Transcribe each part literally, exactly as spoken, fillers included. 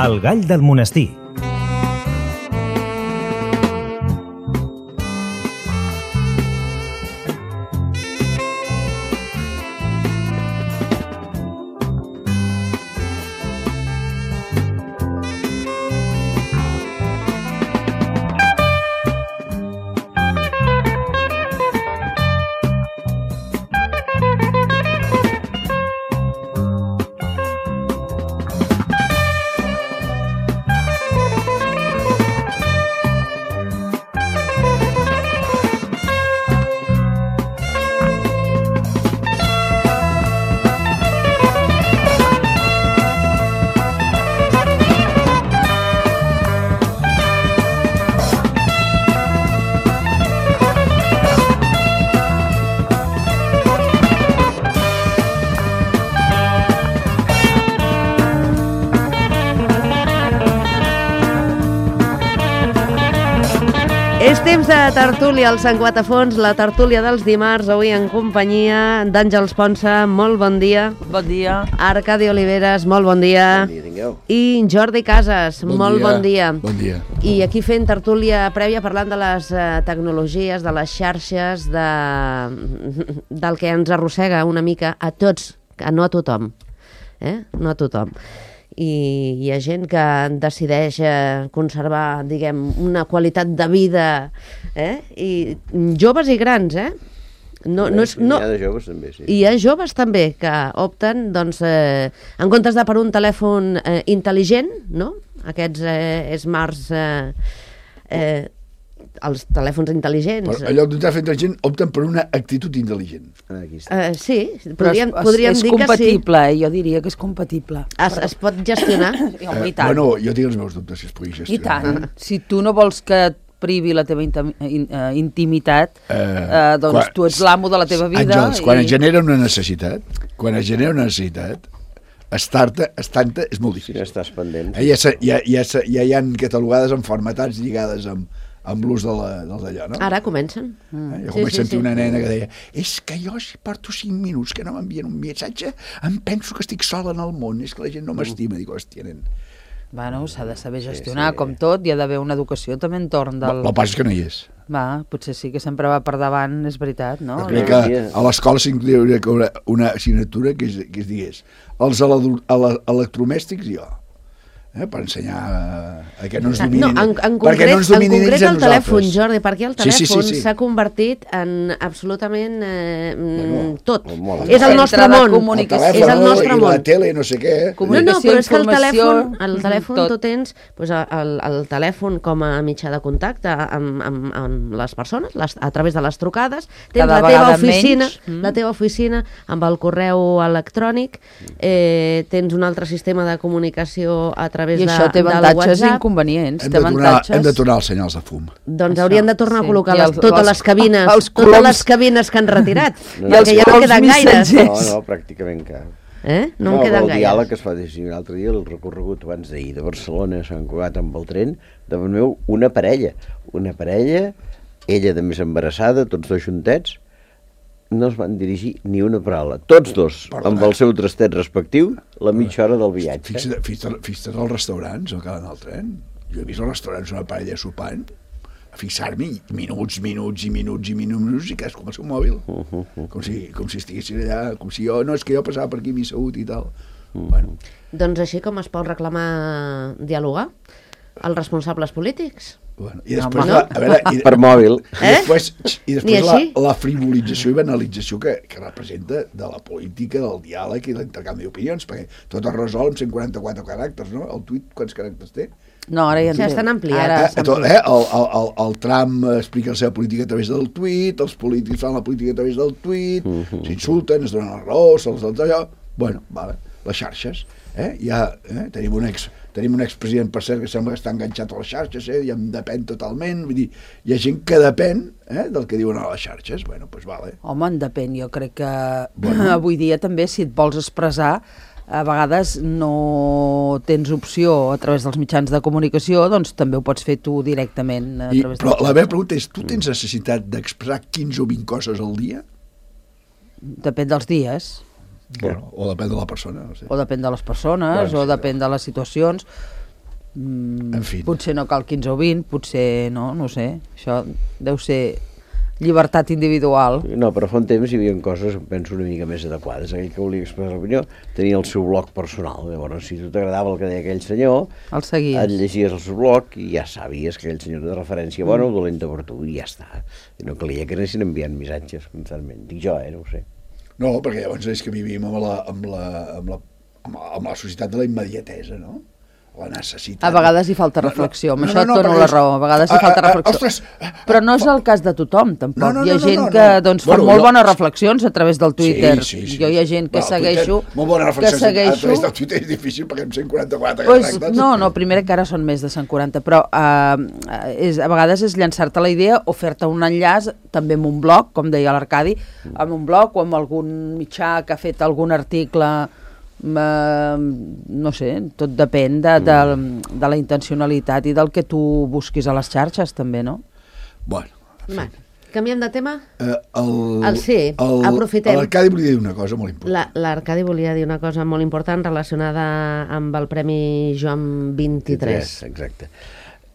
El gall del monestir. És temps de tertúlia al Sant Guatafons, la tertúlia dels dimarts, avui en companyia d'Àngels Ponsa, molt bon dia. Bon dia. Arcadi Oliveres, molt bon dia. Bon dia, tingueu. I Jordi Casas, Bon molt dia. bon dia. Bon dia. I aquí fent tertúlia prèvia parlant de les eh, tecnologies, de les xarxes, de... del que ens arrossega una mica a tots, a no a tothom, eh? no a tothom. I hi ha gent que decideix eh, conservar, diguem, una qualitat de vida, eh? I joves i grans, eh? No, no és, no... Hi ha de joves també, sí. I hi ha joves també que opten, doncs, eh, en comptes de per un telèfon eh, intel·ligent, no? Aquests eh, smarts, eh, eh, els telèfons intel·ligents. Però en lloc d'un telèfon intel·ligent opten per una actitud intel·ligent. Aquí està. Eh, sí, Però podríem, és, podríem és dir que sí. compatible, eh? Jo diria que és compatible. Es, es pot gestionar. I, home, i tant. Bueno, jo tinc els meus dubtes si es pugui I gestionar. tant. Si tu no vols que et privi la teva intim, in, uh, intimitat, Eh, uh, doncs quan- tu ets l'amo de la teva vida. Àngels, quan i... es genera una necessitat, quan es genera una necessitat, estar-te, estar-te és molt Si difícil. n'estàs pendent. Eh, ja, se- ja, ja, se- ja hi ha catalogades enfermetats lligades amb, amb l'ús de la, dels d'allò, no? Ara comencen. Eh, jo Sí, com vaig sí, sentir sí. una nena que deia és que jo si porto cinc minuts que no m'envien un missatge em penso que estic sola en el món, és que la gent no m'estima. Dic, hòstia, nen. Bueno, s'ha de saber gestionar, sí. com tot, hi ha d'haver una educació també entorn del... El que passa és que no hi és. Va, potser sí que sempre va per davant, és veritat, no? Jo crec que a l'escola s'inclouria una assignatura que es, que es digués els ele- ele- electrodomèstics i jo, eh, per ensenyar a, a que no ens dominin, No, en, en perquè concret, no ens en dominin concret ells a el telèfon, nosaltres. Jordi, perquè el Sí, sí, telèfon sí, sí. s'ha convertit en absolutament eh, Bueno, tot. molt. És el Centre nostre de món. El comunicació. És el nostre telèfon i món. la tele, no sé què. No, no, Comunicació, però és que el informació, telèfon, el telèfon tot. tu tens doncs, el, el telèfon com a mitjà de contacte amb, amb, amb les persones, les, a través de les trucades, tens Cada la teva vegada oficina, menys. Mm. la teva oficina amb el correu electrònic, eh, tens un altre sistema de comunicació a través I de, això té del avantatges i WhatsApp. inconvenients. Hem Té de, tornar, avantatges... hem de tornar als senyals de fum. Doncs Això, haurien de tornar sí. a col·locar I les, els- totes els- les cabines, els totes coloms- les cabines que han retirat, No, perquè ja no coloms queden gaires. missatgers. No, no, pràcticament cap. Eh? No, no en queden el gaires. diàleg que es fa des un altre dia, el recorregut abans d'ahir de Barcelona a Sant Cugat amb el tren, davant meu una parella, una parella, ella de més embarassada, tots dos juntets, no es van dirigir ni una paraula. Tots dos, Perdona. amb el seu trastet respectiu, la mitja hora del viatge. Fixa't, fixa't, fixa't als restaurants al quedant del tren. Jo he vist als restaurants una parella sopant, a fixar-m'hi minuts, minuts i minuts i minuts i cadascú amb el seu mòbil. Uh -huh. Com si, com si estiguessin allà, com si jo, no, és que jo passava per aquí m'he assegut i tal. Bueno, Doncs així com es pot reclamar dialogar els responsables polítics. bueno. I després, Home. la, a veure, i, Per mòbil. i Eh? després, i Ni després la, així? la frivolització i banalització que, que representa de la política, del diàleg i l'intercanvi d'opinions, perquè tot es resol amb cent quaranta-quatre caràcters, no? El tuit, quants caràcters té? No, ara ja Ja en té. estan ampliats. Ara Eh, s'han tot, eh? El, el, el, el Trump explica la seva política a través del tuit, els polítics fan la política a través del tuit, s'insulten, es donen la raó, se'ls dona allò... Bueno, vale, les xarxes. Eh? Ja, eh? Tenim un ex tenim un expresident, per cert, que sembla que està enganxat a les xarxes, eh? I en depèn totalment. Vull dir, hi ha gent que depèn eh? del que diuen a les xarxes. Bueno, doncs vale. Home, en depèn. Jo crec que Bueno. avui dia també, si et vols expressar, a vegades no tens opció a través dels mitjans de comunicació, doncs també ho pots fer tu directament a I, través però de la meva pregunta és, tu tens necessitat d'expressar quinze o vint coses al dia? Depèn dels dies, Bueno, o depèn de la persona, no sé. o depèn de les persones, Bueno, o sí, depèn de les situacions. Mm, En fi. Potser no cal quinze o vint, potser no, no sé. Això deu ser llibertat individual. No, però fa un temps hi havia coses, penso, una mica més adequades. Aquell que volia expressar l'opinió tenia el seu blog personal. Llavors, si tu t'agradava el que deia aquell senyor, El seguies. et llegies el seu blog i ja sabies que aquell senyor de referència bona o dolenta per tu, i ja està. I no calia que anessin enviant missatges constantment. Dic jo, eh, no ho sé. No, perquè llavors és que vivim amb la, amb la, amb la, amb la, amb la societat de la immediatesa, no? La necessitat. A vegades hi falta reflexió, amb No, no, això no, et dono perquè la és- raó, a vegades hi Ah, falta ah, ah, reflexió. ostres, Però no és el cas de tothom, tampoc. No, no, Hi ha no, no, gent no, que no. doncs, fa Bueno, molt jo- bones reflexions a través del Twitter. Sí, sí, sí. Jo hi ha gent que Bueno, segueixo... Twitter, molt bona que reflexió. A segueixo... través del Twitter és difícil perquè amb cent quaranta-quatre Pues, caràcters... no, no, primer que ara són més de cent quaranta, però uh, és, a vegades és llançar-te la idea o fer-te un enllaç també amb un blog, com deia l'Arcadi, amb un blog o amb algun mitjà que ha fet algun article, uh, no sé, tot depèn de, de, de la intencionalitat i del que tu busquis a les xarxes també, no? Bueno, Va, canviem de tema? eh, el, El sí, aprofitem. L'Arcadi volia dir una cosa molt important. La- L'Arcadi volia dir una cosa molt important relacionada amb el Premi Joan vint-i-tres. Exacte.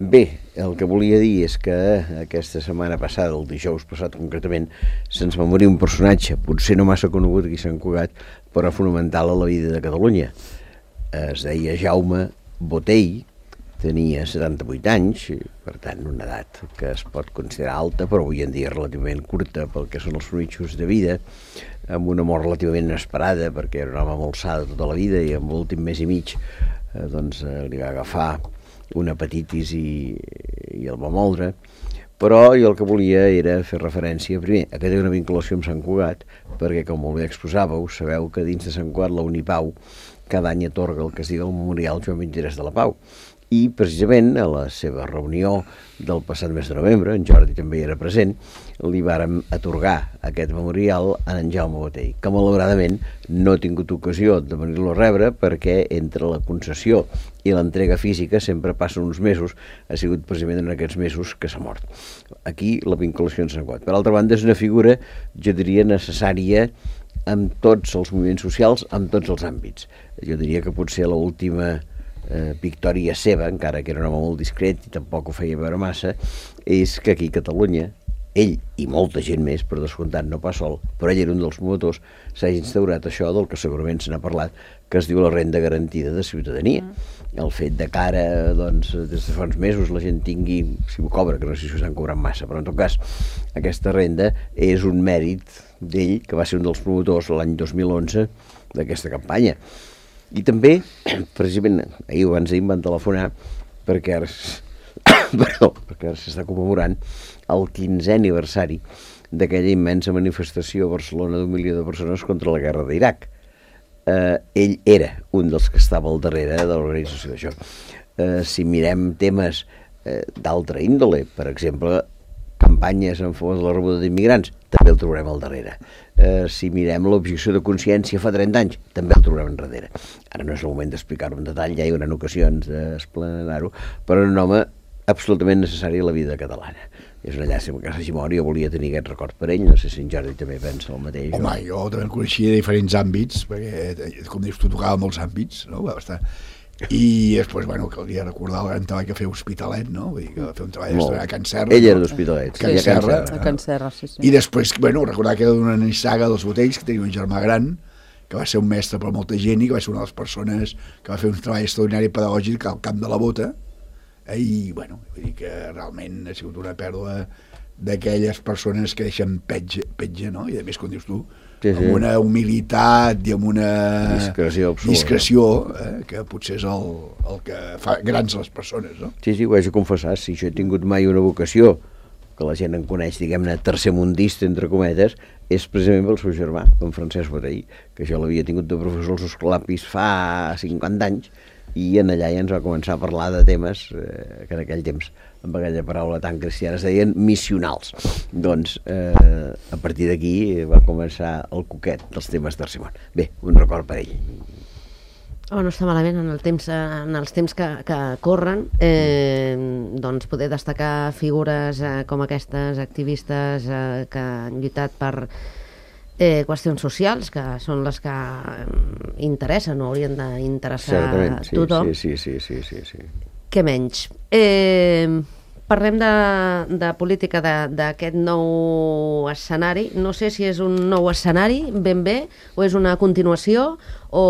Bé, el que volia dir és que aquesta setmana passada, el dijous passat concretament, se'ns va morir un personatge, potser no massa conegut aquí a Sant Cugat, però fonamental a la vida de Catalunya. Es deia Jaume Botey, tenia setanta-vuit anys, per tant una edat que es pot considerar alta, però avui en dia relativament curta pel que són els mitjos de vida, amb una mort relativament inesperada, perquè era un home molt sa de tota la vida i amb l'últim mes i mig eh, doncs, eh, li va agafar una hepatitis i, i el va moldre, però jo el que volia era fer referència, primer, a que té una vinculació amb Sant Cugat, perquè, com molt bé exposàveu, sabeu que dins de Sant Cugat la Unipau cada any atorga el que es diu el Memorial Joan vint-i-tres de la Pau, i precisament a la seva reunió del passat mes de novembre, en Jordi també hi era present, li vàrem atorgar aquest memorial a en Jaume Botey, que malauradament no ha tingut ocasió de venir-lo a rebre perquè entre la concessió i l'entrega física sempre passen uns mesos, ha sigut precisament en aquests mesos que s'ha mort. Aquí la vinculació en Sant Cugat. Per altra banda, és una figura, jo diria, necessària amb tots els moviments socials, amb tots els àmbits. Jo diria que potser l'última Eh, victòria seva, encara que era un home molt discret i tampoc ho feia veure massa, és que aquí a Catalunya, ell i molta gent més, per descomptat no pas sol, però ell era un dels promotors, s'ha instaurat això del que segurament se n'ha parlat, que es diu la renda garantida de ciutadania. Mm. El fet de que ara, doncs, des de fa uns mesos la gent tingui, si ho cobra, que no sé si ho estan cobrant massa, però en tot cas, aquesta renda és un mèrit d'ell, que va ser un dels promotors l'any dos mil onze d'aquesta campanya. I també, precisament, ahir abans d'ahir em van telefonar perquè ara, perdó, perquè ara s'està commemorant el quinzè aniversari d'aquella immensa manifestació a Barcelona d'un milió de persones contra la guerra d'Iraq. Eh, ell era un dels que estava al darrere de l'organització d'això. Eh, si mirem temes eh, d'altra índole, per exemple, campanyes en favor de la rebuda d'immigrants, també el trobarem al darrere. Eh, si mirem l'objecció de consciència fa trenta anys, també el trobarem enrere. Ara no és el moment d'explicar-ho en detall, ja hi haurà ocasions d'explanar-ho, però un home absolutament necessari a la vida catalana. És una llàstima que s'hagi mort, jo volia tenir aquest record per ell, no sé si en Jordi també pensa el mateix. Home, o... jo també el coneixia de diferents àmbits, perquè, com dius, tu tocava molts àmbits, no? Va estar... I després, bueno, caldria recordar el gran treball que feia Hospitalet, no? Vull dir que va fer un treball Molt. a Can Serra. Ell era no? d'Hospitalet, Can sí, a Can Serra. Serra. A Can Serra, sí, sí. I després, bueno, recordar que era d'una nissaga dels Botells, que tenia un germà gran, que va ser un mestre per molta gent i que va ser una de les persones que va fer un treball extraordinari pedagògic al camp de la Bota. Eh? I, bueno, vull dir que realment ha sigut una pèrdua d'aquelles persones que deixen petge, petge, no? I a més, com dius tu, Sí, sí. amb una humilitat i amb una Discreció absoluta. discreció eh? que potser és el, el que fa grans les persones, no? Sí, sí, ho haig de confessar, si jo he tingut mai una vocació, que la gent en coneix, diguem-ne, tercermundista, entre cometes, és precisament pel seu germà, en Francesc Botey, que jo l'havia tingut de professor als Escolapis fa cinquanta anys, i en allà ja ens va començar a parlar de temes eh, que en aquell temps, amb aquella paraula tan cristiana, es deien missionals. Doncs, eh, a partir d'aquí va començar el coquet dels temes tercer món. Bé, un record per ell. Oh, no està malament en, el temps, en els temps que, que corren, eh, doncs poder destacar figures eh, com aquestes, activistes eh, que han lluitat per eh, qüestions socials, que són les que eh, interessen o haurien d'interessar Certament, sí, tothom. sí, sí, sí, sí, sí, sí. què menys? Eh, parlem de, de política d'aquest nou escenari. No sé si és un nou escenari, ben bé, o és una continuació, o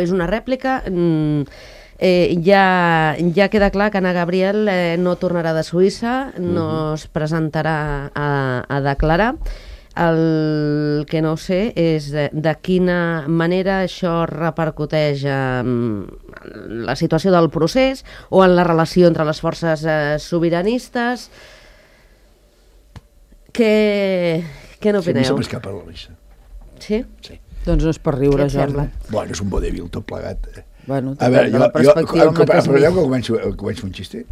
és una rèplica. Mm, eh, ja, ja queda clar que Anna Gabriel eh, no tornarà de Suïssa, no uh-huh. es presentarà a, a declarar. El que no sé és de, de quina manera això repercuteix en la situació del procés o en la relació entre les forces eh, sobiranistes. Què, què n'opineu? Sí, a mi se m'escapa la risa. Sí? Sí. Doncs no és per riure, Jordi. Bueno, és un vodevil tot plegat. Eh? Bueno, a veure, de la jo, perspectiva jo, amb la que es però mira. que començo, començo un xiste?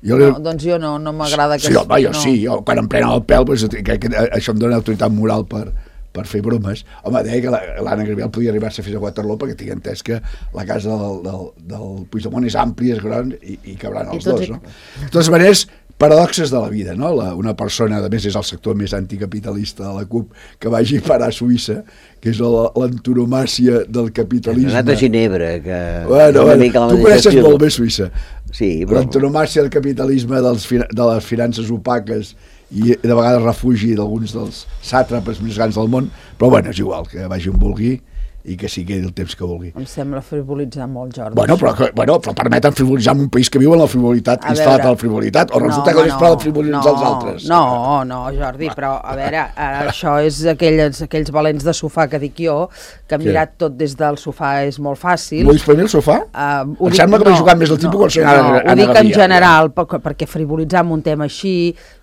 Jo No, doncs jo no, no m'agrada que... Sí, home, jo no. sí, jo, quan em prenen el pèl, doncs, que, que, això em dona autoritat moral per, per fer bromes. Home, deia que l'Anna Gabriel podia arribar-se fins a Waterloo perquè tinc entès que la casa del, del, del Puigdemont és àmplia, és gran i, i cabran els dos, no? De totes maneres, paradoxes de la vida, no? La, una persona, a més és el sector més anticapitalista de la CUP, que vagi a parar a Suïssa, que és l'antonomàcia del capitalisme. Ha anat a Ginebra, que... Bueno, bueno, tu coneixes molt bé Suïssa. Sí, però... L'antonomàcia del capitalisme dels, de les finances opaques i de vegades refugi d'alguns dels sàtrapes més grans del món, però bueno, és igual, que vagi on vulgui i que sigui el temps que vulgui. Em sembla frivolitzar molt, Jordi. Bueno, però, bueno, però permeten frivolitzar en un país que viu en la frivolitat, instal·lat a la frivolitat, o resulta no, que no és per frivolitzar no, els altres. No, no, Jordi, però a veure, això és aquells, aquells valents de sofà que dic jo, que hem mirat tot des del sofà és molt fàcil. Vull dir el sofà? Uh, em sembla que no, vaig jugant més el tipus no, que el senyor no, Anna ho dic Gabriel, en general, ja. Perquè frivolitzar amb un tema així,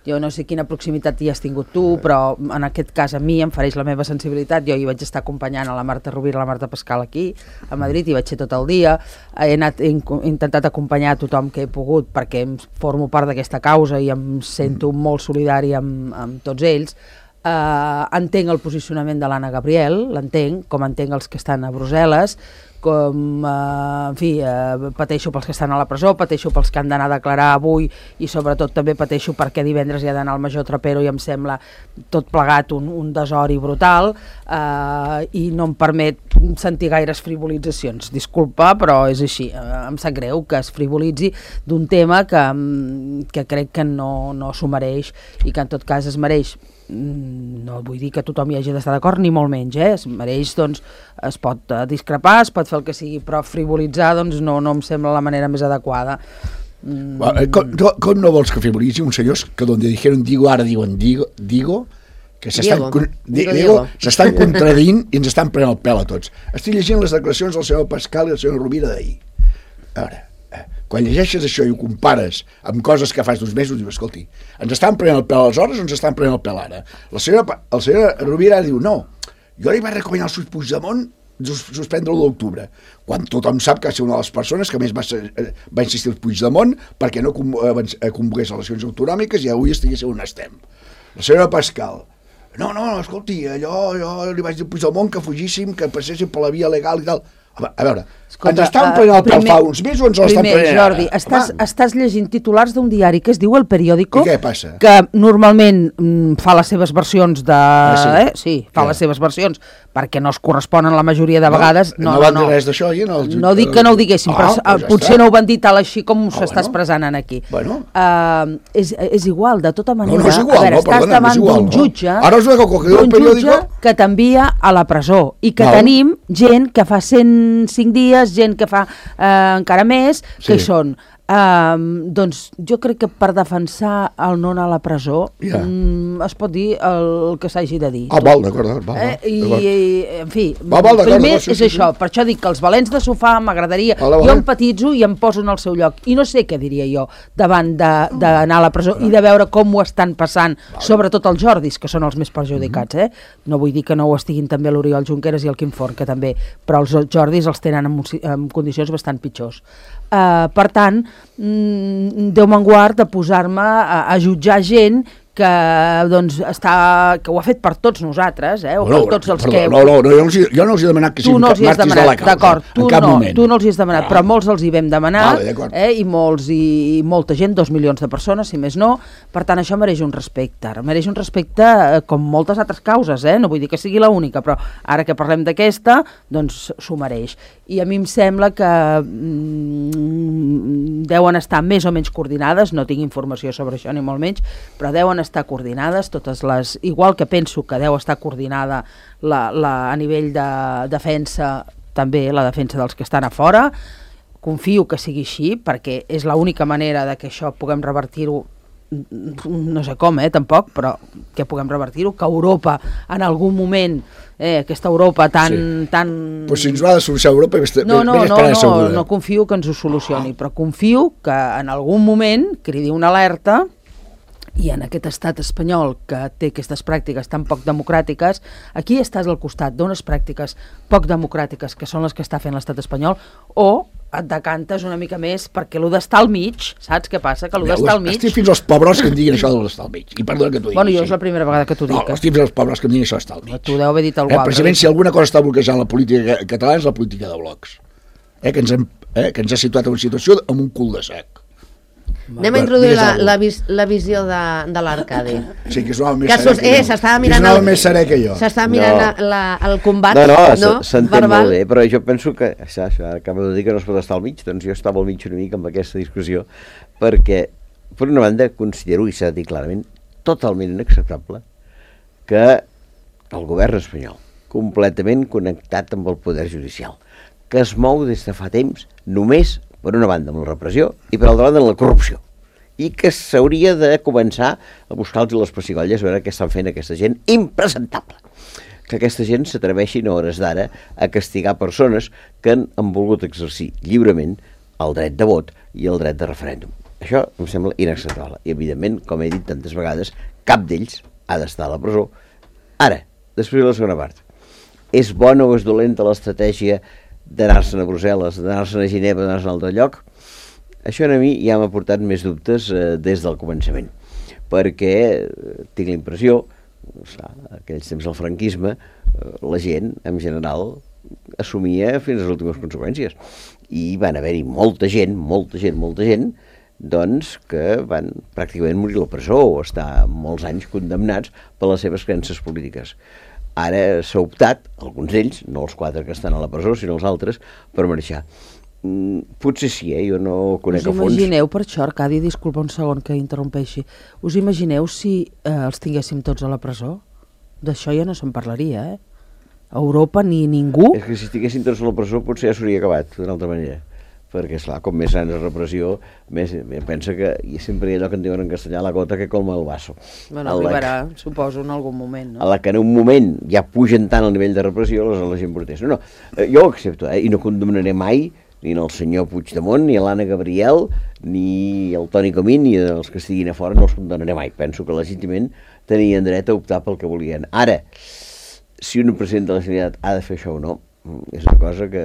jo no sé quina proximitat hi has tingut tu, però en aquest cas a mi em fareix la meva sensibilitat. Jo hi vaig estar acompanyant a la Marta Rovira i la Marta Pascal aquí, a Madrid, i vaig ser tot el dia. He, anat, he intentat acompanyar a tothom que he pogut perquè em formo part d'aquesta causa i em sento molt solidari amb, amb tots ells. Uh, entenc el posicionament de l'Anna Gabriel, l'entenc, com entenc els que estan a Brussel·les, com, uh, en fi, uh, pateixo pels que estan a la presó, pateixo pels que han d'anar a declarar avui i sobretot també pateixo perquè divendres hi ha d'anar al Major Trapero i em sembla tot plegat un, un desori brutal uh, i no em permet sentir gaires frivolitzacions. Disculpa, però és així. Uh, em sap greu que es frivolitzi d'un tema que, que crec que no, no s'ho mereix i que en tot cas es mereix. No vull dir que tothom hi hagi d'estar d'acord, ni molt menys, eh? Es mereix, doncs, es pot uh, discrepar, es pot fer el que sigui, però frivolitzar, doncs, no, no em sembla la manera més adequada. Mm. Bueno, com, com no vols que frivolitzi un senyors que donde dijeron digo, ara diuen digo, digo que s'estan s'estan contradient i ens estan prenent el pèl a tots. Estic llegint les declaracions del senyor Pascal i del senyor Rovira d'ahir. A veure, quan llegeixes això i ho compares amb coses que fas uns mesos, dius, escolti, ens estan prenent el pèl aleshores o ens estan prenent el pèl ara? La senyora, el senyor Rovira diu, no, jo li vaig recomanar al Puigdemont suspendre l'u d'octubre, quan tothom sap que va ser una de les persones que més va, ser, va insistir el Puigdemont perquè no convoqués eleccions autonòmiques i avui estigués on estem. La senyora Pascal, no, no, escolti, allò, jo li vaig dir al Puigdemont que fugíssim, que passéssim per la via legal i tal. A veure, escolta, ens estan prenent el pèl fa uns mesos o ens l'estan prenent ara? Jordi, estàs, estàs llegint titulars d'un diari que es diu El Periódico, i què passa? Que normalment mm, fa les seves versions de... Ah, sí? Eh? Sí, fa ja. les seves versions, perquè no es corresponen la majoria de vegades. No, no, no van no, dir res d'això? No, el... no dic que no ho diguéssim, ah, però pues ja potser està. No ho van dir tal així com ah, s'està bueno. expressant aquí. Bueno. Uh, és, és igual, de tota manera. No, no és igual, a veure, no, estàs perdona, davant no igual, d'un jutge, no? Ara us veig que d'un periòdico... jutge que t'envia a la presó i que no. tenim gent que fa cent cinc dies, gent que fa eh, encara més, que sí. hi són. Uh, doncs jo crec que per defensar el no anar a la presó yeah. mm, es pot dir el que s'hagi de dir. Ah, val, d'acord, d'acord. Eh, I, i, en fi, val, val, primer sí, és sí, això, sí. Per això dic que els valents de sofà m'agradaria, vale, vale. Jo empatitzo i em poso en el seu lloc, i no sé què diria jo davant d'anar a la presó i de veure com ho estan passant, vale. Sobretot els Jordis, que són els més perjudicats, eh? No vull dir que no ho estiguin també l'Oriol Junqueras i el Quim Forn, que també, però els Jordis els tenen en, en condicions bastant pitjors. Uh, per tant, mm, Déu me'n guard de posar-me a, a jutjar gent que, doncs, està, que ho ha fet per tots nosaltres, eh? O no, per tots els perdó, que... No, no, no, jo no els, jo no els he demanat que siguin màrtirs de la causa, d'acord, tu en cap no, moment. tu no els hi has demanat, ah. però molts els hi vam demanar, vale, eh? I, molts, i, i molta gent, dos milions de persones, si més no, per tant, això mereix un respecte, mereix un respecte eh, com moltes altres causes, eh? No vull dir que sigui l'única, però ara que parlem d'aquesta, doncs s'ho mereix. I a mi em sembla que mm, deuen estar més o menys coordinades, no tinc informació sobre això ni molt menys, però deuen estar coordinades totes les... Igual que penso que deu estar coordinada la, la, a nivell de defensa, també la defensa dels que estan a fora. Confio que sigui així, perquè és l'única manera de que això puguem revertir-ho, no sé com, eh, tampoc, però que puguem revertir-ho, que Europa en algun moment, eh, aquesta Europa tan... Sí. tan... Pues si ens va de solucionar Europa, vés, no, no, vés no, no, no, no confio que ens ho solucioni, però confio que en algun moment cridi una alerta i en aquest estat espanyol que té aquestes pràctiques tan poc democràtiques, aquí estàs al costat d'unes pràctiques poc democràtiques que són les que està fent l'estat espanyol, o et decantes una mica més perquè allò d'estar al mig, saps què passa? Que allò d'estar al mig... Estic fins als pobres que em diguin això d'estar al mig, i perdona que t'ho digui. Bueno, jo és la primera vegada que t'ho dic. No, estic fins als pobres que em diguin això d'estar al mig. Tu deu haver dit alguna eh, cosa. Precisament, si alguna cosa està bloquejant la política catalana és la política de blocs, eh, que, ens hem, eh, que ens ha situat en una situació amb un cul de sac. Anem a introduir la, la, vis, la visió de, de l'Arcadi. Sí, que és un home més que serè que eh, jo. S'estava Que mirant, és un home el, més serè que jo. s'estava mirant No. la, la, el combat, No, no, no? s'entén Verbal. molt bé, però jo penso que, això, això, acabo de dir que no es pot estar al mig, doncs jo estava al mig una mica amb aquesta discussió, perquè, per una banda, considero, i s'ha de dir clarament, totalment inacceptable que el govern espanyol, completament connectat amb el poder judicial, que es mou des de fa temps només, per una banda, amb la repressió i per altra banda, amb la corrupció, i que s'hauria de començar a buscar-los les pessigolles, a veure què estan fent aquesta gent impresentable. Que aquesta gent s'atreveixin a hores d'ara a castigar persones que han, han volgut exercir lliurement el dret de vot i el dret de referèndum. Això em sembla inacceptable. I, evidentment, com he dit tantes vegades, cap d'ells ha d'estar a la presó. Ara, després de la segona part, és bona o és dolenta l'estratègia d'anar-se'n a Brussel·les, d'anar-se'n a Ginebra, d'anar-se'n a un altre lloc? Això a mi ja m'ha portat més dubtes eh, des del començament, perquè eh, tinc la impressió, aquells temps del franquisme, eh, la gent, en general, assumia fins a les últimes conseqüències. I van haver-hi molta gent, molta gent, molta gent, doncs, que van pràcticament morir a la presó o estar molts anys condemnats per les seves creences polítiques. Ara s'ha optat, alguns d'ells, no els quatre que estan a la presó, sinó els altres, per marxar. Mm, potser sí, eh? Jo no conec a Us fons. imagineu, per això, Arcadi, disculpa un segon que interrompeixi, us imagineu si eh, els tinguéssim tots a la presó? D'això ja no se'n parlaria, eh? A Europa ni ningú... És que si estiguessin tots a la presó potser ja s'hauria acabat d'una altra manera, perquè, esclar, com més gran és la repressió, més, pensa que i sempre hi ha allò que en diuen en castellà, la gota que colma el vaso. Bueno, a la, arribarà, suposo, en algun moment, no? a la que en un moment ja pugen tant el nivell de repressió, aleshores la gent protesta. No, no, eh, jo ho accepto, eh, i no condemnaré mai ni el senyor Puigdemont, ni l'Anna Gabriel, ni el Toni Comín, ni els que estiguin a fora, no els condemnaré mai. Penso que legítimament tenien dret a optar pel que volien. Ara, si un president de la Generalitat ha de fer això o no, és una cosa que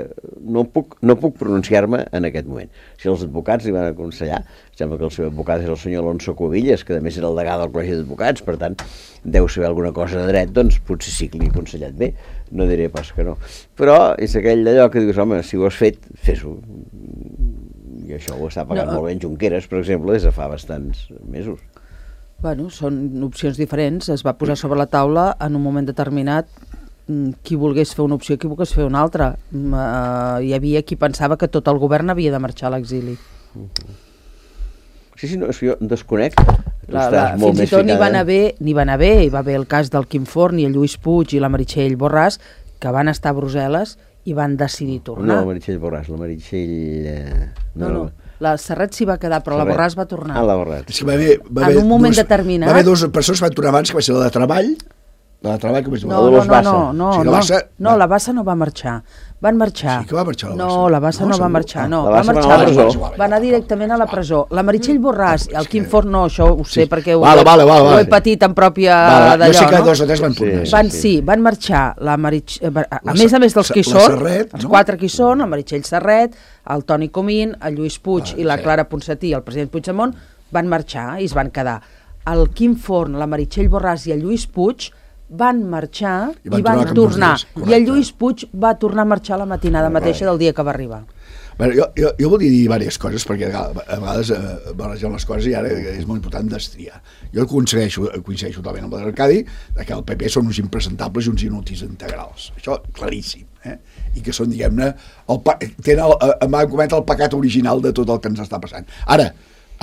no puc, no puc pronunciar-me en aquest moment. Si els advocats li van aconsellar, sembla que el seu advocat és el senyor Alonso Cuevillas, que a més era el degà del Col·legi d'Advocats, per tant, deu saber alguna cosa de dret, doncs potser sí que li he aconsellat bé, no diré pas que no. Però és aquell d'allò que dius, home, si ho has fet, fes-ho. I això ho està pagant no. molt bé en Junqueras, per exemple, des de fa bastants mesos. Bueno, són opcions diferents, es va posar sobre la taula en un moment determinat qui volgués fer una opció, qui volgués fer una altra. Uh, hi havia qui pensava que tot el govern havia de marxar a l'exili. Uh-huh. Sí, sí, no, és que jo desconec. La, la, fins i tot n'hi van haver, n'hi van haver, hi va haver el cas del Quim Forn i el Lluís Puig i la Meritxell Borràs, que van estar a Brussel·les i van decidir tornar. No, la Meritxell Borràs, la Meritxell... Eh, no, no, no. La Serret s'hi va quedar, però Serret. La Borràs va tornar. Ah, la Borràs. És que va haver, va haver en un moment dos, determinat... Va haver dues persones que van tornar abans, que va ser la de Treball, la de Treball, com és? No, no, no, no, no, sí, no, Bassa, no, la Bassa no va marxar. Van marxar. Sí que va marxar la No, Bassa. la Bassa no, no va marxar, no. La va Bassa marxar va anar a la presó. Va anar directament a la presó. La Meritxell Borràs, el Quim Forn, no, això ho sé Sí. perquè ho, Vale, vale, vale, ho he vale. patit en pròpia Vale, d'allò, jo sé que no? dos o tres van tornar. Sí. Van, sí, van marxar la Meritxell, a, a La més a més dels Sa- que hi la són, Serret, els no? quatre que hi són, el Meritxell Serret, el Toni Comín, el Lluís Puig Ah, i la sí. Clara Ponsatí i el president Puigdemont van marxar i es van quedar. el Quim Forn, la Meritxell Borràs i el Lluís Puig van marxar I van i van tornar tornar. cap dos dies, I el Lluís Puig va tornar a marxar la matinada mateixa del dia que va arribar. Bueno, jo, jo, jo volia dir diverses coses, perquè a vegades eh, barregen les coses i ara és molt important destriar. Jo coincideixo, coincideixo totalment amb l'Arcadi que el P P són uns impresentables i uns inútils integrals. Això claríssim. Eh? I que són, diguem-ne, tenen el, m'ha comentat el pecat original de tot el que ens està passant. Ara,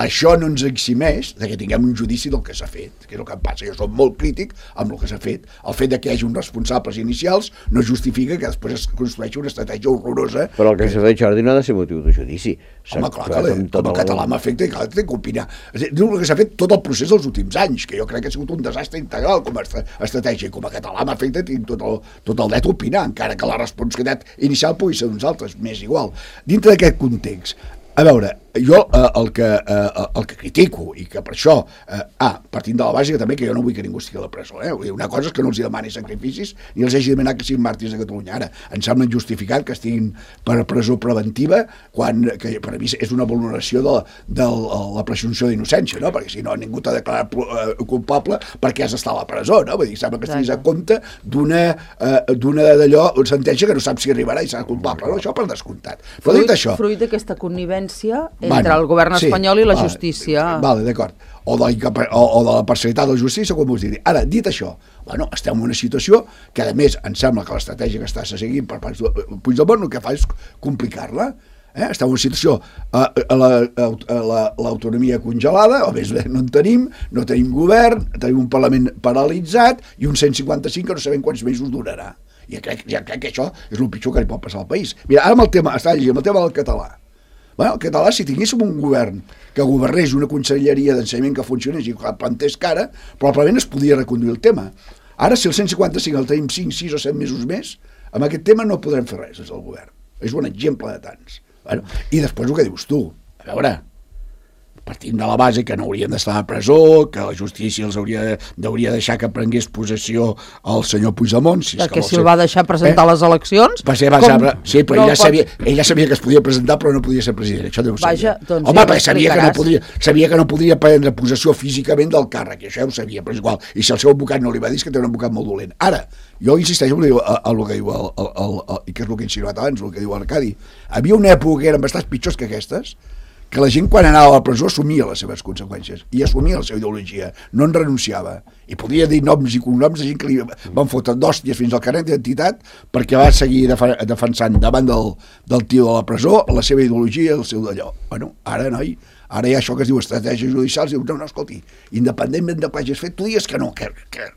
això no ens eximeix de que tinguem un judici del que s'ha fet, que és el que em passa. Jo soc molt crític amb el que s'ha fet. El fet de que hi hagi uns responsables inicials no justifica que després es construeixi una estratègia horrorosa. Però el que, que... s'ha fet, Jordi, no ha de ser motiu de judici. Home, clar, que com, com el català m'afecta i clar, té que opinar. Diu el que s'ha fet tot el procés dels últims anys, que jo crec que ha sigut un desastre integral com a estratègia. Com a català m'afecta, tinc tot el, tot el dret a opinar, encara que la responsabilitat inicial pugui ser d'uns altres, m'és igual. Dintre d'aquest context, a veure, jo eh, el, que, eh, el que critico i que per això, eh, ah, partint de la base que també que jo no vull que ningú estigui a la presó, eh? Una cosa és que no els demani sacrificis ni els hagi demanat que siguin màrtirs de Catalunya. Ara, em sembla injustificat que estiguin per presó preventiva quan, que per a mi és una vulneració de, de la presumpció d'innocència, no? Perquè si no ningú t'ha declarat eh, culpable perquè has d'estar a la presó, no? Vull dir, sembla que estiguis a compte d'una eh, d'una d'allò, una sentència que no saps si arribarà i serà culpable, no? Això per descomptat. Però fruit, dit això... Fruit d'aquesta connivència entre bueno, el govern espanyol sí, i la vale, justícia. Vale, d'acord. O, de o, o de la parcialitat de la justícia, com us diré. Ara, dit això, bueno, estem en una situació que, a més, em sembla que l'estratègia que està seguint per part de Puigdemont el que fa és complicar-la. Eh? Estem en una situació, eh, l'autonomia la, congelada, o més bé, no en tenim, no tenim govern, tenim un Parlament paralitzat i un cent cinquanta-cinc que no sabem quants mesos durarà. I crec, ja crec que això és el pitjor que li pot passar al país. Mira, ara amb el tema, està llegint, amb el tema del català. Bueno, el català, si tinguéssim un govern que governés una conselleria d'ensenyament que funcionés i que plantés cara, probablement es podia reconduir el tema. Ara, si el cent cinquanta-cinc el tenim cinc, sis o set mesos més, amb aquest tema no podrem fer res des del govern. És un exemple de tants. Bueno, i després el que dius tu, a veure, partint de la base que no haurien d'estar a presó, que la justícia els hauria, hauria de deixar que prengués possessió el senyor Puigdemont. Si perquè si el el va deixar presentar eh? les eleccions... Va ser, va com... saber, sí, però ell ja, sabia, ell ja sabia que es podia presentar però no podia ser president. Això deu Vaja, doncs Home, ja perquè sabia que, no podia, sabia que no podia prendre possessió físicament del càrrec, i això ja ho sabia, però és igual. I si el seu advocat no li va dir, és que té un advocat molt dolent. Ara, jo insisteixo en el que diu el, el, el, el, i que és el que he insinuat abans, el que diu l'Arcadi. Havia una època que eren bastants pitjors que aquestes, que la gent quan anava a la presó assumia les seves conseqüències i assumia la seva ideologia, no en renunciava i podia dir noms i cognoms de gent que li van fotre d'hòsties fins al carnet d'identitat perquè va seguir defensant davant del, del tio de la presó la seva ideologia i el seu d'allò. Bueno, ara noi, ara hi ha això que es diu estratègia judicial i diu, no, no, escolti, independentment de què hagis fet, tu digues que no, que... que...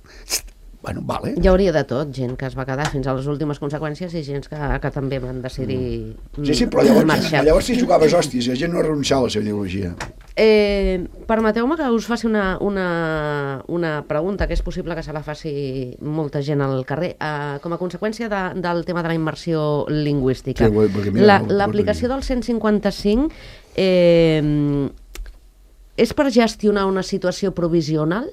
Bueno, vale. Hi hauria de tot, gent que es va quedar fins a les últimes conseqüències i gent que, que també van decidir mm. Sí, sí, però llavors, marxar. Llavors si jugaves hòsties i la gent no renunciava a la seva ideologia. Eh, Permeteu-me que us faci una, una, una pregunta que és possible que se la faci molta gent al carrer. Eh, com a conseqüència de, del tema de la immersió lingüística. Sí, l'aplicació del cent cinquanta-cinc eh, és per gestionar una situació provisional?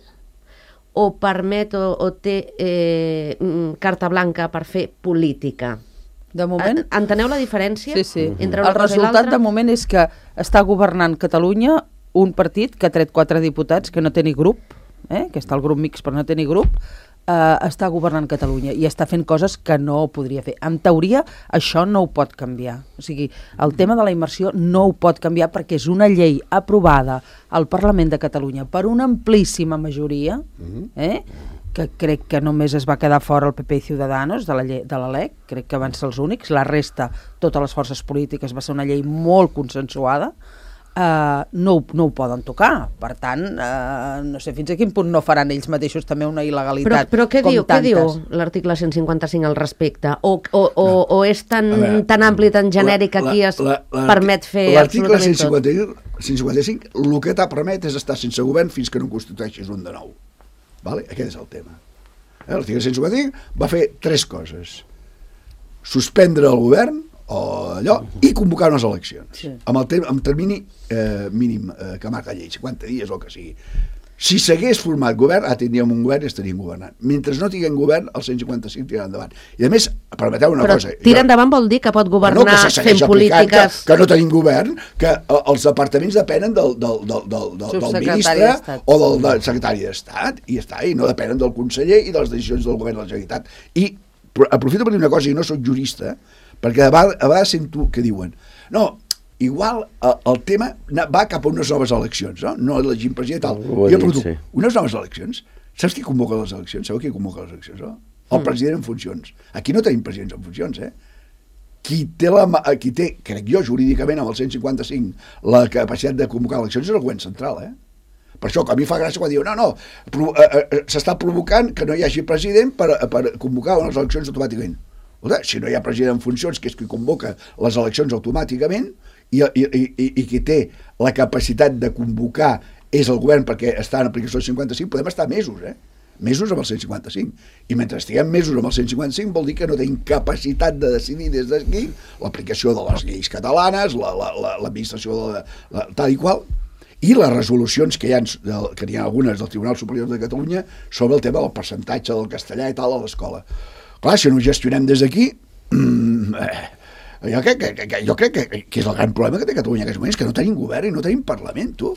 O permet o, o té eh, carta blanca per fer política? De moment... Enteneu la diferència? Sí, sí. Entre una el cosa resultat i de moment és que està governant Catalunya un partit que ha tret quatre diputats que no té ni grup, eh? que està al grup mix però no té ni grup, eh, està governant Catalunya i està fent coses que no podria fer. En teoria, això no ho pot canviar. O sigui, el tema de la immersió no ho pot canviar perquè és una llei aprovada al Parlament de Catalunya per una amplíssima majoria, eh? que crec que només es va quedar fora el P P i Ciudadanos de la, llei, de la L E C, crec que van ser els únics, la resta, totes les forces polítiques, va ser una llei molt consensuada, Uh, no, no ho poden tocar. Per tant, uh, no sé fins a quin punt no faran ells mateixos també una il·legalitat. Però, però què, com diu, què diu l'article cent cinquanta-cinc al respecte? O, o, o, no. o és tan, veure, tan ampli, tan genèric que aquí es la, la, permet fer absolutament tot? L'article cent cinquanta-cinc el que t'ha permet és estar sense govern fins que no constitueixis un de nou. Vale? Aquest és el tema. Eh? L'article cent cinquanta-cinc va fer tres coses. Suspendre el govern, o allò, i convocar unes eleccions, sí. amb el tem amb termini eh, mínim eh, que marca la llei, cinquanta dies o el que sigui. Si s'hagués format govern, ara tindríem un govern i estaríem governant. Mentre no tinguem govern, el cent cinquanta-cinc tirarà endavant. I a més, permeteu una Però cosa... tirar endavant vol dir que pot governar no, que fent polítiques... Que, que no tenim govern, que els departaments depenen del, del, del, del, del, del ministre o del, del secretari d'Estat, i està, i no depenen del conseller i de les decisions del govern de la Generalitat. I aprofito per dir una cosa, i no soc jurista, perquè a vegades, a vegades sento que diuen no, igual el, el tema va cap a unes noves eleccions, no? No elegim president i tal. Oh, jo pregunto, sí. unes noves eleccions? Saps qui convoca les eleccions? Sabeu qui convoca les eleccions, no? El mm. president en funcions. Aquí no tenim presidents en funcions, eh? Qui té, la, qui té, crec jo, jurídicament, amb el cent cinquanta-cinc, la capacitat de convocar eleccions és el govern central, eh? Per això, que a mi fa gràcia quan diu no, no, pro, eh, eh, s'està provocant que no hi hagi president per, per convocar unes eleccions automàticament. Escolta, si no hi ha president en funcions, que és qui convoca les eleccions automàticament, i, i, i, i qui té la capacitat de convocar és el govern perquè està en aplicació del cinquanta-cinc, podem estar mesos, eh? Mesos amb el cent cinquanta-cinc. I mentre estiguem mesos amb el cent cinquanta-cinc vol dir que no tenim capacitat de decidir des d'aquí l'aplicació de les lleis catalanes, l'administració la, la, de la, tal i qual, i les resolucions que hi ha, que hi ha algunes del Tribunal Superior de Catalunya sobre el tema del percentatge del castellà i tal a l'escola. Clar, si no ho gestionem des d'aquí... Mm, eh, Jo crec, que, que, jo crec que, que és el gran problema que té Catalunya en aquests moments, que no tenim govern i no tenim Parlament, tu.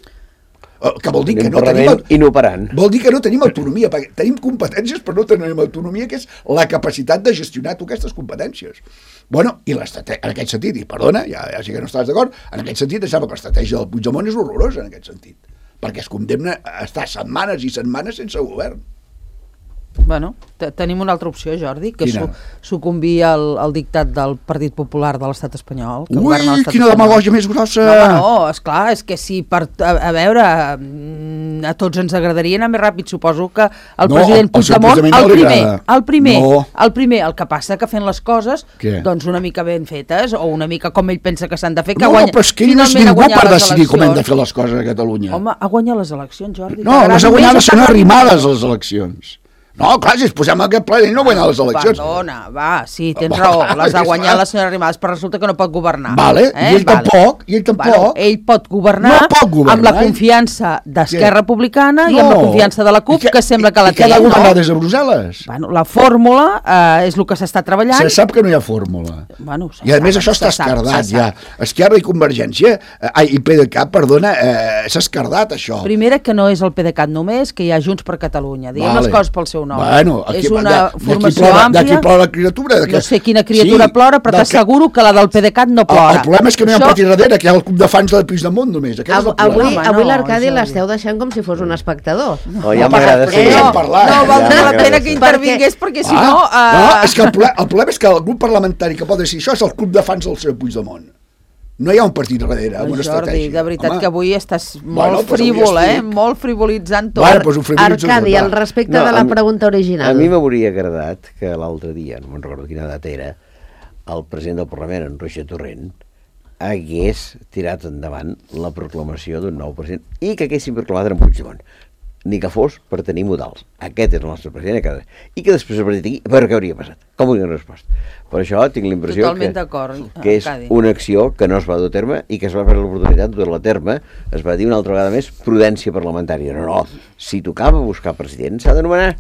Que vol dir que no tenim... inoperant. Vol dir que no tenim autonomia, perquè tenim competències però no tenim autonomia, que és la capacitat de gestionar tu aquestes competències. Bueno, i en aquest sentit, i perdona, ja, ja sé que no estàs d'acord, en aquest sentit, em sembla que l'estratègia del Puigdemont és horrorosa en aquest sentit, perquè es condemna a estar setmanes i setmanes sense govern. Bueno, tenim una altra opció, Jordi, que és su sucumbir al, al dictat del Partit Popular de l'estat espanyol. Que Ui, quina demagògia més grossa! No, no, esclar, és que si per, a, a veure, a tots ens agradaria anar més ràpid, suposo que el no, president Puigdemont, el, el primer, el primer, no. el primer, el que passa que fent les coses, Què? doncs una mica ben fetes, o una mica com ell pensa que s'han de fer, que no, guanya, però és que ell no és ningú per decidir com hem de fer les coses a Catalunya. Home, ha guanyat les eleccions, Jordi. No, les ha guanyat, són arrimades les eleccions. No, clar, si es posem aquest ple, ell no guanya les eleccions. Perdona, va, sí, tens raó, les ha guanyat la senyora Arrimadas, però resulta que no pot governar. Vale, eh? i ell vale. tampoc, i ell tampoc. Bueno, ell pot governar, no pot governar amb la confiança d'Esquerra Republicana no. i amb la confiança de la CUP, que, que sembla que la i, té. I que ha de governar no? des de Brussel·les. Bueno, la fórmula eh, és el que s'està treballant. Se sap que no hi ha fórmula. Bueno, I a més això està escardat ja. Esquerra i Convergència, eh, ai, i PDeCAT, perdona, eh, s'ha escardat això. Primera, que no és el PDeCAT només, que hi ha Junts per Catalunya. Diguem vale. les coses pel seu nom. Bueno, aquí és una de, formació plora, àmplia. D'aquí plora la criatura. Que... No sé quina criatura sí, plora, però t'asseguro que la del PDeCAT no plora. El, el problema és que no hi ha Això... un partit darrere, que hi ha el club de fans del Puigdemont només. Av avui avui no, l'Arcadi l'esteu deixant com si fos un espectador. No, ja m'agrada ser. No, no valdria la pena que intervingués, perquè si no... No, és que el problema és que el grup parlamentari que pot decidir això és el club de fans del senyor Puigdemont. No hi ha un partit darrere, amb una estratègia. Jordi, de veritat Home. que avui estàs molt bueno, frívol, eh? Molt frivolitzant tot. Bueno, pues Arcadi, al respecte no, de la pregunta original. A mi m'hauria agradat que l'altre dia, no me'n recordo quina data era, el president del Parlament, en Roger Torrent, hagués tirat endavant la proclamació d'un nou president i que haguessin proclamat en Puigdemont. Ni que fos per tenir modals. Aquest és el nostre president a casa. I que després a partir d'aquí, a veure què hauria passat. Com hauria respost. Per això tinc la impressió que, que és una acció que no es va dur a terme i que es va fer l'oportunitat de dur-la a terme. Es va dir una altra vegada més prudència parlamentària. No, no, si tocava buscar president s'ha d'anomenar.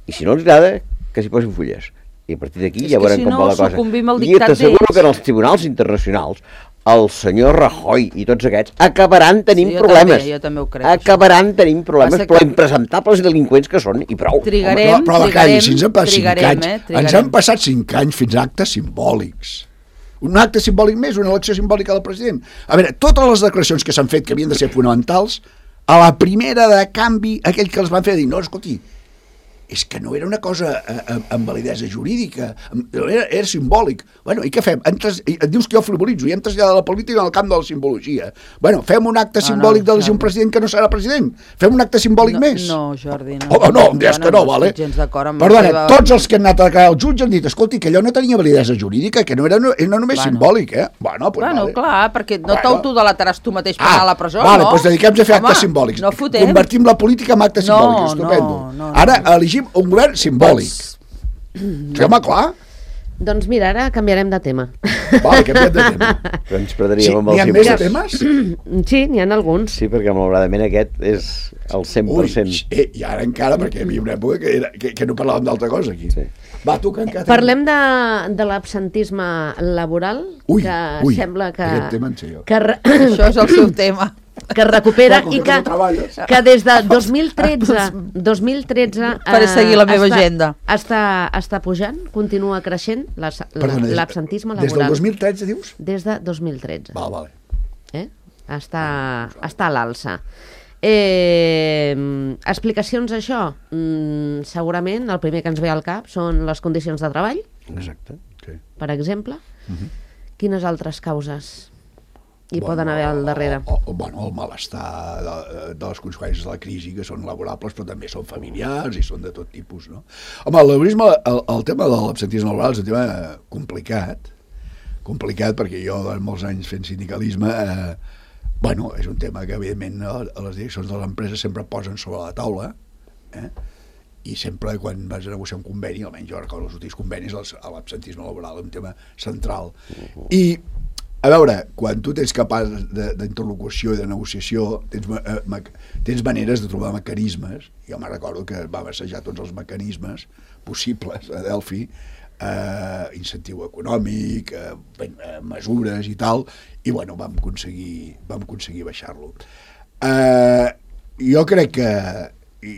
I si no els agrada, que s'hi posin fulles. I a partir d'aquí ja veurem si com no, va la cosa. I t'asseguro que en els tribunals internacionals el senyor Rajoy i tots aquests acabaran tenint sí, problemes. També, jo també ho crec, acabaran això. tenint problemes, que... però impresentables delinqüents que són, i prou. Trigarem, Home, però, però trigarem, si ens han passat trigarem, cinc anys, eh, trigarem. ens han passat cinc anys fins a actes simbòlics. Un acte simbòlic més, una elecció simbòlica del president. A veure, totes les declaracions que s'han fet que havien de ser fonamentals, a la primera de canvi, aquell que els van fer dir, no, escolti, és que no era una cosa eh, amb validesa jurídica, era, era simbòlic. Bueno, i què fem? Entres, et dius que jo frivolitzo i hem traslladat la política al camp de la simbologia. Bueno, fem un acte no, simbòlic no, d'elegir un president que no serà president. Fem un acte simbòlic no, més. No, Jordi, no. Oh, no, em dius que no, vale? Perdona, seva... tots els que han anat a declarar el jutge han dit, escolti, que allò no tenia validesa jurídica, que no era, no, era només bueno. simbòlic, eh? Bueno, pues bueno vale. clar, perquè no bueno. t'autodelatharàs tu mateix per ah, anar a la presó, vale, no? Doncs dediquem a fer actes simbòlics. No fotem. Convertim la política en actes no, simbòlics, estupendo. No, no, Ara no. elegim un govern simbòlic. Sí, home, clar. Doncs mira, ara canviarem de tema. Vale, canviem de tema. Però ens perdríem Sí, amb n'hi ha els més de impostos. temes? Sí, n'hi ha alguns. Sí, perquè malauradament aquest és el cent per Ui, cent. eh, i ara encara, perquè hi havia una època que, era, que, que no parlàvem d'altra cosa aquí. Sí. Va, tu, que encara... Parlem de, de l'absentisme laboral, Ui, que ui, sembla que, aquest tema en sé jo. que, re, Això és el seu tema. que recupera Clar, com i que que, no treballes. que des de dos mil tretze, dos mil tretze Faré seguir la meva està, agenda. Està, està pujant, continua creixent l'as- Perdona, l'absentisme Des del laboral. dos mil tretze, dius? Des de dos mil tretze. Val, vale. Eh? Està, està a l'alça. Eh, explicacions a això? Mm, segurament el primer que ens ve al cap són les condicions de treball, Exacte. Sí. per exemple. Mhm. Quines altres causes hi Bueno, poden haver al darrere? O, o, bueno, el malestar de, de les conseqüències de la crisi, que són laborables, però també són familiars i són de tot tipus, no? Home, el laborisme, el, el tema de l'absentisme laboral és un tema complicat, complicat perquè jo, durant molts anys fent sindicalisme, eh, bueno, és un tema que, evidentment, a a les direccions de l'empresa sempre posen sobre la taula, eh? I sempre quan vas a negociar un conveni, almenys jo recordo els últims convenis, l'absentisme laboral és un tema central. I, a veure, quan tu tens capaç d'interlocució i de negociació, tens, eh, tens maneres de trobar mecanismes. Jo me recordo que vam assajar tots els mecanismes possibles a Delphi, eh, incentiu econòmic, eh, ben, eh, mesures i tal, i bueno, vam aconseguir, vam aconseguir baixar-lo. Eh, jo crec que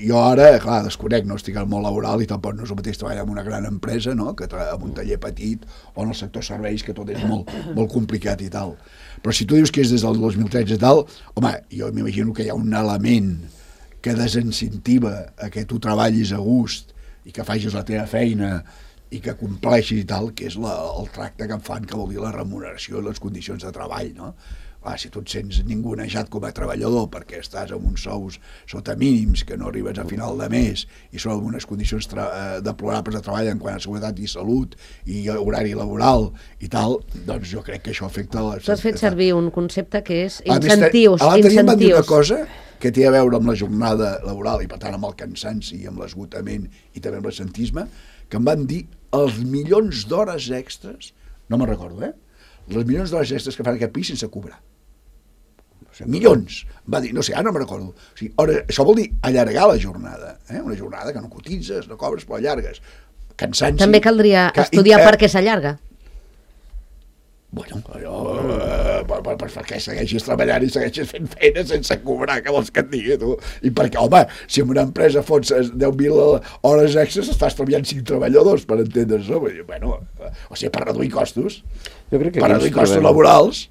jo ara, clar, desconec, no estic al món laboral i tampoc no és el mateix treballar en una gran empresa, no?, que en un taller petit o en el sector serveis, que tot és molt, molt complicat i tal. Però si tu dius que és des del dos mil tretze i tal, home, jo m'imagino que hi ha un element que desincentiva a que tu treballis a gust i que facis la teva feina i que compleixis i tal, que és la, el tracte que em fan, que vol dir la remuneració i les condicions de treball, no? Ah, si tu et sents ningunejat com a treballador perquè estàs amb uns sous sota mínims, que no arribes a final de mes i són en unes condicions eh, deplorables de treball en quant a seguretat i salut i horari laboral i tal, doncs jo crec que això afecta... La... Tu has fet servir un concepte que és A més, incentius. l'altre dia em van dir una incentius. cosa que té a veure amb la jornada laboral i per tant amb el cansanci i amb l'esgotament i també amb l'assentisme, que em van dir els milions d'hores extres, no me'n recordo, eh? Les milions d'hores extres que fan aquest país sense cobrar. O sigui, milions. Va dir, no sé, ara no me'n recordo. O sigui, hores, això vol dir allargar la jornada, eh? Una jornada que no cotitzes, no cobres, però allargues. Cansanci... També caldria que, estudiar i, eh, per què s'allarga. Bueno, allò, eh, per, per, per, perquè segueixis treballant i segueixis fent feina sense cobrar, què vols que et digui, tu? I perquè, home, si en una empresa fots deu mil hores extres, estàs treballant cinc treballadors, per entendre això. Bueno, o sigui, per reduir costos, Jo crec que per aquí reduir ens costos trobem laborals.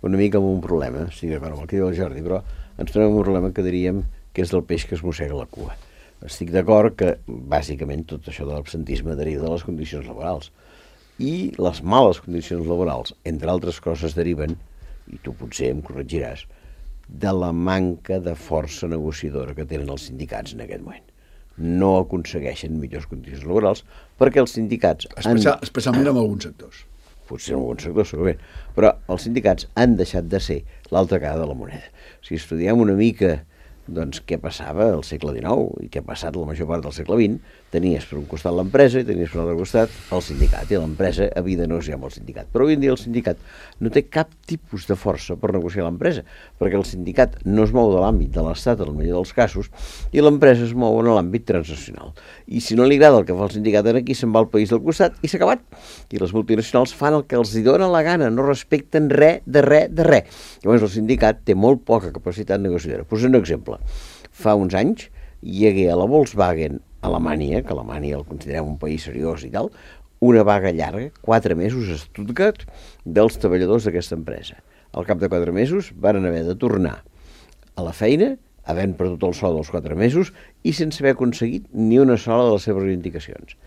una mica amb un problema, estic d'acord amb el que diu el Jordi, però ens trobem un problema que diríem que és del peix que es mossega la cua. Estic d'acord que, bàsicament, tot això de l'absentisme deriva de les condicions laborals. I les males condicions laborals, entre altres coses, deriven, i tu potser em corregiràs, de la manca de força negociadora que tenen els sindicats en aquest moment. No aconsegueixen millors condicions laborals perquè els sindicats... Especial, han... especialment en alguns sectors. Potser en alguns sectors, segurament, però els sindicats han deixat de ser l'altra cara de la moneda. Si estudiem una mica doncs, què passava al segle dinou i què ha passat la major part del segle vint, tenies per un costat l'empresa i tenies per un altre costat el sindicat, i l'empresa havia de negociar amb el sindicat. Però avui en dia el sindicat no té cap tipus de força per negociar l'empresa, perquè el sindicat no es mou de l'àmbit de l'Estat en el millor dels casos i l'empresa es mou en l'àmbit transnacional. I si no li agrada el que fa el sindicat aquí, se'n va al país del costat i s'ha acabat. I les multinacionals fan el que els hi dona la gana, no respecten res de res de res. Llavors el sindicat té molt poca capacitat negociadora. Posem un exemple. Fa uns anys hi hagué a la Volkswagen Alemanya, que Alemanya el considerem un país seriós i tal, una vaga llarga, quatre mesos a Stuttgart, dels treballadors d'aquesta empresa. Al cap de quatre mesos van haver de tornar a la feina, havent perdut el sou dels quatre mesos i sense haver aconseguit ni una sola de les seves reivindicacions.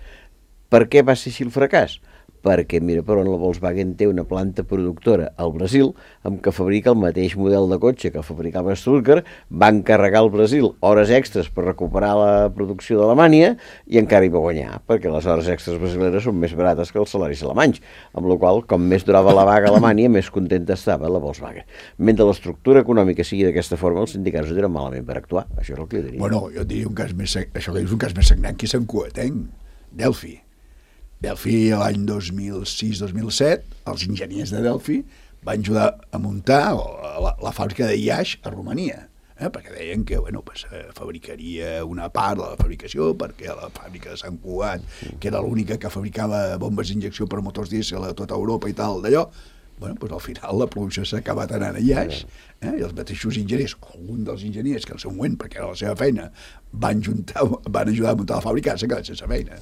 Per què va ser així el fracàs? Perquè, mira per on la Volkswagen té una planta productora al Brasil amb què fabrica el mateix model de cotxe que fabricava a Stuttgart, va encarregar al Brasil hores extres per recuperar la producció d'Alemanya i encara hi va guanyar, perquè les hores extres brasileres són més barates que els salaris alemanys, amb la qual com més durava la vaga a Alemanya, més contenta estava la Volkswagen. Mentre l'estructura econòmica sigui d'aquesta forma, els sindicats ho tenen malament per actuar, això és el que jo diria. Bueno, jo diria un cas més, això que dius un cas més sagnant que és Sant Coatenc, Delphi. Delphi l'any dos mil sis dos mil set, els enginyers de Delphi van ajudar a muntar la, la fàbrica de Iax a Romania, eh? Perquè deien que bueno, pues, eh, fabricaria una part de la fabricació, perquè la fàbrica de Sant Cugat, que era l'única que fabricava bombes d'injecció per motors dièsel a tota Europa i tal, d'allò, bueno, pues al final la producció s'ha acabat anant a Iax, eh? I els mateixos enginyers, algun dels enginyers que al seu moment, perquè era la seva feina, van, juntar, van ajudar a muntar la fàbrica, s'ha quedat sense feina.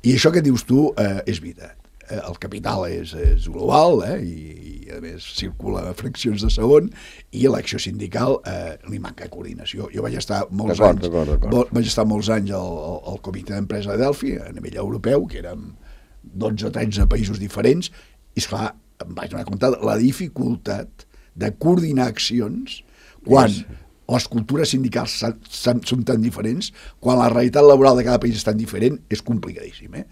I això que dius tu eh, és veritat. Eh, el capital és, és global, eh? I, i a més circula a fraccions de segon, i l'acció sindical eh, li manca coordinació. Jo vaig estar molts anys vaig estar molts anys al, al, al comitè d'empresa de Delphi, a nivell europeu, que érem dotze o tretze països diferents, i esclar, em vaig donar compte de la dificultat de coordinar accions quan sí. les cultures sindicals són tan diferents, quan la realitat laboral de cada país és tan diferent, és complicadíssim. Eh?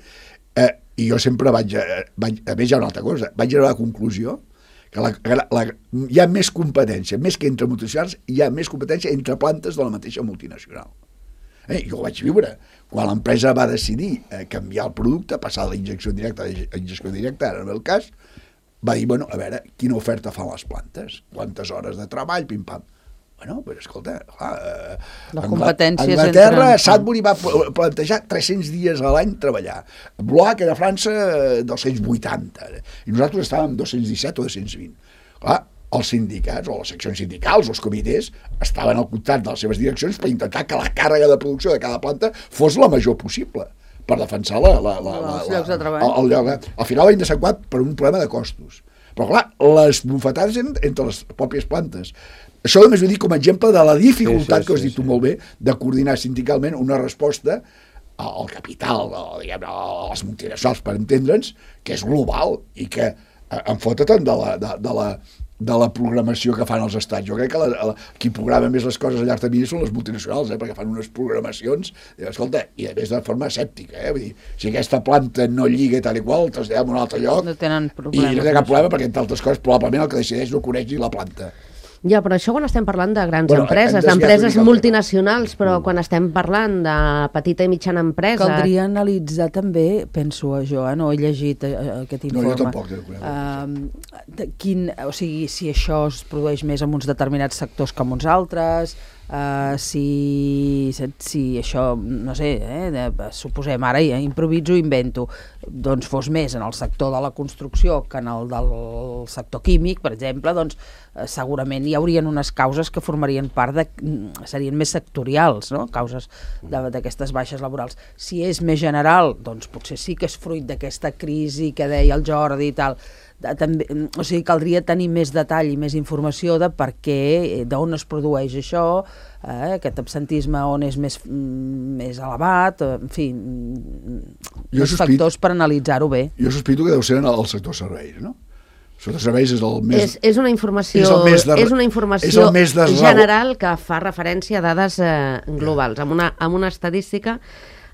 Eh, I jo sempre vaig, vaig... A més, hi ha una altra cosa. Vaig arribar a la conclusió que la, la, hi ha més competència, més que entre multinacionals, hi ha més competència entre plantes de la mateixa multinacional. Eh, jo ho vaig viure. Quan l'empresa va decidir eh, canviar el producte, passar de la injecció directa a la injecció directa, ara en el cas, va dir, bueno, a veure, quina oferta fan les plantes? Quantes hores de treball, pim-pam. Bueno, però escolta, clar, eh, la competència és Anglaterra, entre... Sudbury va plantejar tres-cents dies a l'any treballar. Blois, que era a França, dos-cents vuitanta. I nosaltres estàvem dos-cents disset o dos-cents vint. Clar, els sindicats, o les seccions sindicals, o els comitès, estaven al costat de les seves direccions per intentar que la càrrega de producció de cada planta fos la major possible, per defensar la, la, la, la, els llocs de treball. El, el lloc, al final va indesequat per un problema de costos. Però clar, les bufetades eren entre les pròpies plantes. Això només ho dic com a exemple de la dificultat, sí, sí, que has dit sí, tu sí. molt bé, de coordinar sindicalment una resposta al capital, a, diguem, a les multinacionals, per entendre'ns, que és global i que en fota tant de la, de, de la de la programació que fan els estats. Jo crec que la, la, qui programa més les coses a llarg termini són les multinacionals, eh, perquè fan unes programacions, i, escolta, i a més de forma escèptica, eh, vull dir, si aquesta planta no lliga tal i qual, traslladem a un altre lloc, no tenen i no té cap problema, perquè entre altres coses probablement el que decideix no coneix ni la planta. Ja, però això quan estem parlant de grans bueno, empreses, d'empreses multinacionals, però mm. quan estem parlant de petita i mitjana empresa... Caldria analitzar també, penso jo, eh, no he llegit eh, aquest informe. No, jo tampoc. Uh, quin, o sigui, si això es produeix més en uns determinats sectors que en uns altres, uh, si, si això, no sé, eh, suposem, ara ja improviso, invento, doncs fos més en el sector de la construcció que en el del sector químic, per exemple, doncs segurament hi haurien unes causes que formarien part de... serien més sectorials, no? Causes d'aquestes baixes laborals. Si és més general, doncs potser sí que és fruit d'aquesta crisi que deia el Jordi i tal. També, o sigui, caldria tenir més detall i més informació de per què, d'on es produeix això, eh, aquest absentisme on és més, més elevat, en fi, jo els factors per analitzar-ho bé. Jo sospito que deu ser en el sector serveis, no? El sector serveis és el més... És, és una informació, és de, és una informació és de general que fa referència a dades eh, globals, amb una, amb una estadística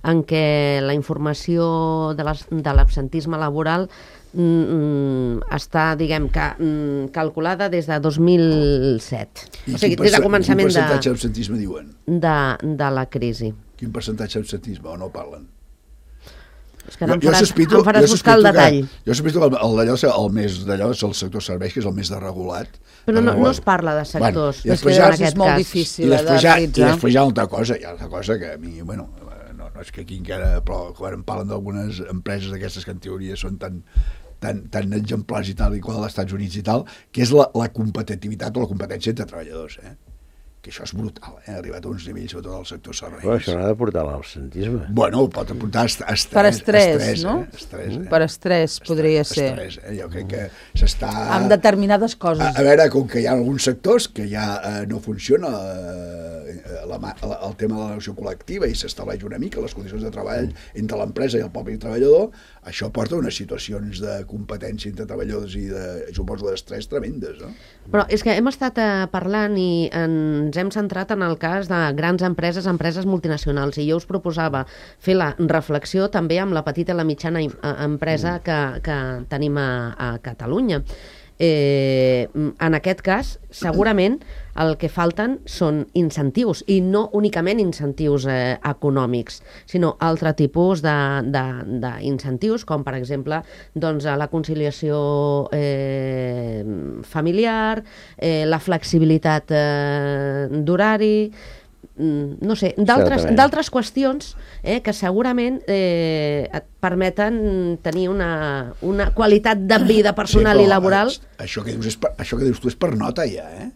en què la informació de l'absentisme laboral mm, està, diguem, que, mm, calculada des de dos mil set. I o sigui, des de començament quin percentatge d'absentisme diuen? De, de la crisi. Quin percentatge d'absentisme o no parlen? És que no em faràs, sospito, em faràs buscar el detall. Que, jo sospito que el, el, el més d'allò és el sector serveis, que és el més desregulat. Però no, no es parla de sectors. Bueno, és que ja és molt cas. difícil d'analitzar. I després hi ha una altra cosa, hi ha una cosa que a mi, bueno, no, no és que aquí encara, però quan em parlen d'algunes empreses d'aquestes que en teoria són tan, tan, tan exemplars i tal i qual als Estats Units i tal, que és la, la competitivitat o la competència entre treballadors, eh? Que això és brutal, eh? Ha arribat a uns nivells sobretot al sector serveis. Però això no ha de portar a l'absentisme. Bueno, pot portar estrès. Per estrès, estrès no? Eh? Estrès, eh? Per estrès podria estrès, ser. Estrès, eh? Jo crec que s'està... Amb determinades coses. A, a veure, com que hi ha alguns sectors que ja eh, no funciona eh, la, la, el tema de la negociació col·lectiva i s'estableix una mica les condicions de treball entre l'empresa i el propi treballador, això porta a unes situacions de competència entre treballadors i de, suposo, d'estrès tremendes, no? Però és que hem estat eh, parlant i ens hem centrat en el cas de grans empreses, empreses multinacionals, i jo us proposava fer la reflexió també amb la petita i la mitjana empresa que, que tenim a, a Catalunya. Eh, en aquest cas, segurament el que falten són incentius, i no únicament incentius eh, econòmics, sinó altre tipus d'incentius, com per exemple doncs, la conciliació eh, familiar, eh, la flexibilitat eh, d'horari, no sé, d'altres qüestions eh, que segurament eh, et permeten tenir una, una qualitat de vida personal sí, i laboral. Això que, dius és per, això que dius tu és per nota ja, eh?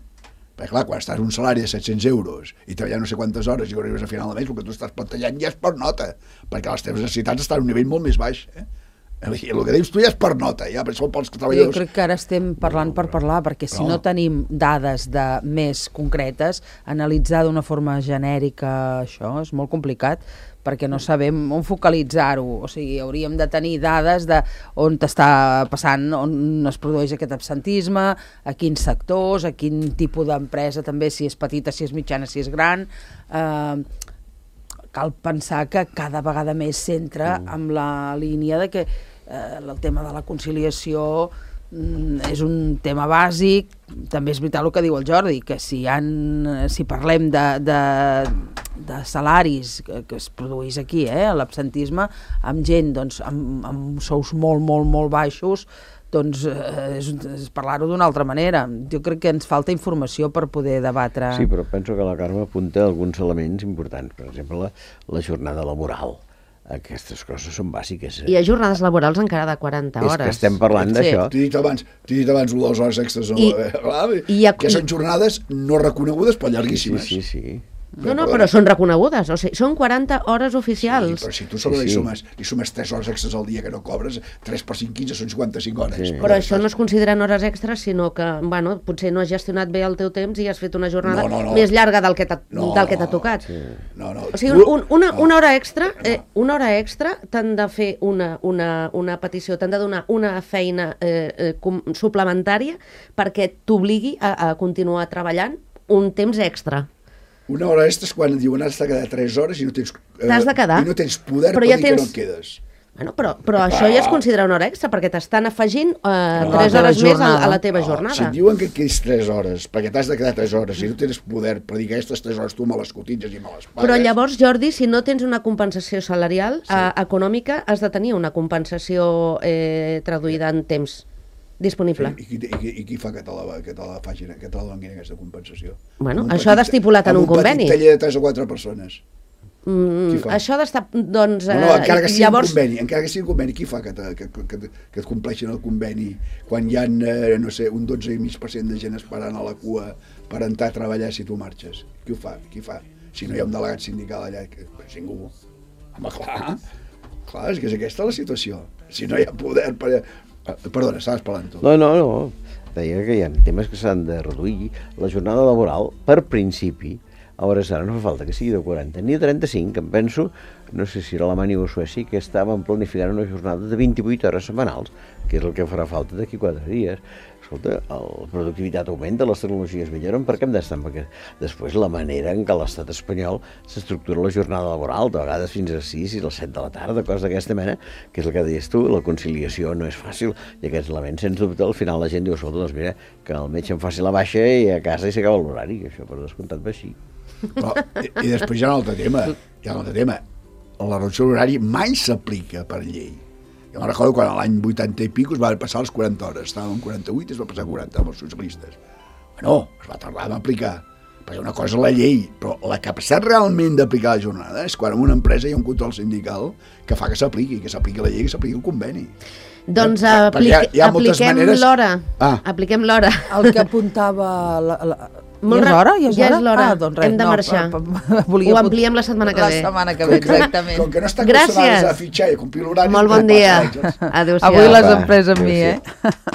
Perquè clar, quan estàs un salari de set-cents euros i treballant no sé quantes hores i arribes a final de mes, el que tu estàs plantegant ja és per nota, perquè les teves necessitats estan a un nivell molt més baix, eh? El que dius tu ja és per nota, ja, per això pels treballadors... Jo crec que ara estem parlant per parlar, perquè si no, no tenim dades de més concretes, analitzar d'una forma genèrica això és molt complicat, perquè no sabem on focalitzar-ho. O sigui, hauríem de tenir dades de on t'està passant, on es produeix aquest absentisme, a quins sectors, a quin tipus d'empresa també, si és petita, si és mitjana, si és gran... Eh, cal pensar que cada vegada més s'entra mm. amb la línia de que eh, el tema de la conciliació mm, és un tema bàsic. També és veritat el que diu el Jordi, que si, han, si parlem de, de, de salaris que, que es produeix aquí, eh, l'absentisme, amb gent doncs, amb, amb sous molt, molt, molt baixos, doncs eh, és, és parlar-ho d'una altra manera. Jo crec que ens falta informació per poder debatre. Sí, però penso que la Carme apunta alguns elements importants, per exemple, la, la jornada laboral. Aquestes coses són bàsiques. Eh? Hi ha jornades laborals encara de quaranta hores. És que estem parlant sí. d'això. T'he dit abans, t'he dit abans dues hores extres, I, eh, i ha, que són jornades no reconegudes però llarguíssimes. Sí, sí, sí. No, no, però són reconegudes, o sigui, són quaranta hores oficials. Sí, però si tu sobre sí, sí. li sumes, li sumes tres hores extres al dia que no cobres, tres per cinc, quinze, són cinquanta-cinc hores. Sí. Però això no es consideren hores extres, sinó que, bueno, potser no has gestionat bé el teu temps i has fet una jornada no, no, no. més llarga del que t'ha no, no, tocat. Sí. No, no. O sigui, un, una, una hora extra, eh, una hora extra t'han de fer una, una, una petició, t'han de donar una feina eh, eh, com, suplementària perquè t'obligui a, a continuar treballant un temps extra. Una hora extra és quan diuen has de quedar tres hores i no tens, eh, T'has de quedar. I no tens poder però per ja dir tens... que no et quedes. Bueno, però, però ah. això ja es considera una hora extra, perquè t'estan afegint eh, no, tres hores més a, a la teva no, jornada. Si et diuen que et quedis tres hores, perquè t'has de quedar tres hores i no tens poder per dir que aquestes tres hores tu me les cotitzes i me les pagues... Però llavors, Jordi, si no tens una compensació salarial sí. eh, econòmica, has de tenir una compensació eh, traduïda en temps disponible. Sí, i, qui, i, I qui fa que te la, que te la facin, que te la donin aquesta compensació? Bueno, això ha d'estipulat en un conveni. Amb un petit taller de tres o quatre persones. Mm, això ha d'estar, doncs... No, no, encara que sigui llavors... un conveni, encara que sigui un conveni, qui fa que, te, que, que, que, que et compleixin el conveni quan hi ha, eh, no sé, un dotze coma cinc per cent de gent esperant a la cua per entrar a treballar si tu marxes? Qui ho fa? Qui fa? Si no hi ha un delegat sindical allà, que és ningú. Home, clar, clar, és que és aquesta la situació. Si no hi ha poder per... Perdona, estaves parlant tu. No, no, no. Deia que hi ha temes que s'han de reduir. La jornada laboral, per principi, a hores d'ara no fa falta que sigui de quaranta ni de trenta-cinc, em penso, no sé si era Alemanya o Suècia, que estaven planificant una jornada de vint-i-vuit hores setmanals, que és el que farà falta d'aquí quatre dies. Escolta, la productivitat augmenta, les tecnologies milloren, per què hem d'estar? Perquè després la manera en què l'estat espanyol s'estructura la jornada laboral, de vegades fins a sis i a les set de la tarda, coses d'aquesta mena, que és el que deies tu, la conciliació no és fàcil, i aquests elements, sens dubte, al final la gent diu, escolta, doncs mira, que el metge em faci la baixa i a casa i s'acaba l'horari, això per descomptat va així. Però, i, I després hi ha un altre tema, hi ha un altre tema, la reducció de l'horari mai s'aplica per llei. Jo me'n recordo quan l'any vuitanta i pico es va passar les quaranta hores, estàvem en quaranta-vuit i es va passar a quaranta amb els socialistes. No, es va tardar a aplicar, perquè una cosa és la llei, però la capacitat realment d'aplicar la jornada és quan en una empresa hi ha un control sindical que fa que s'apliqui, que s'apliqui la llei, que s'apliqui el conveni. Doncs apliqui, ha, ha apliquem maneres... l'hora. Ah. Apliquem l'hora. El que apuntava... La, la... Molt ja és l'hora? Ja és, ja és l'hora. Ah, doncs res, hem de no, marxar. Pa, pa, Ho ampliem la setmana que ve. La setmana que ve, exactament. Com que no està acostumades a fitxar i a complir l'horari... Molt bon dia. Adéu-siau. Avui les empreses amb mi, eh?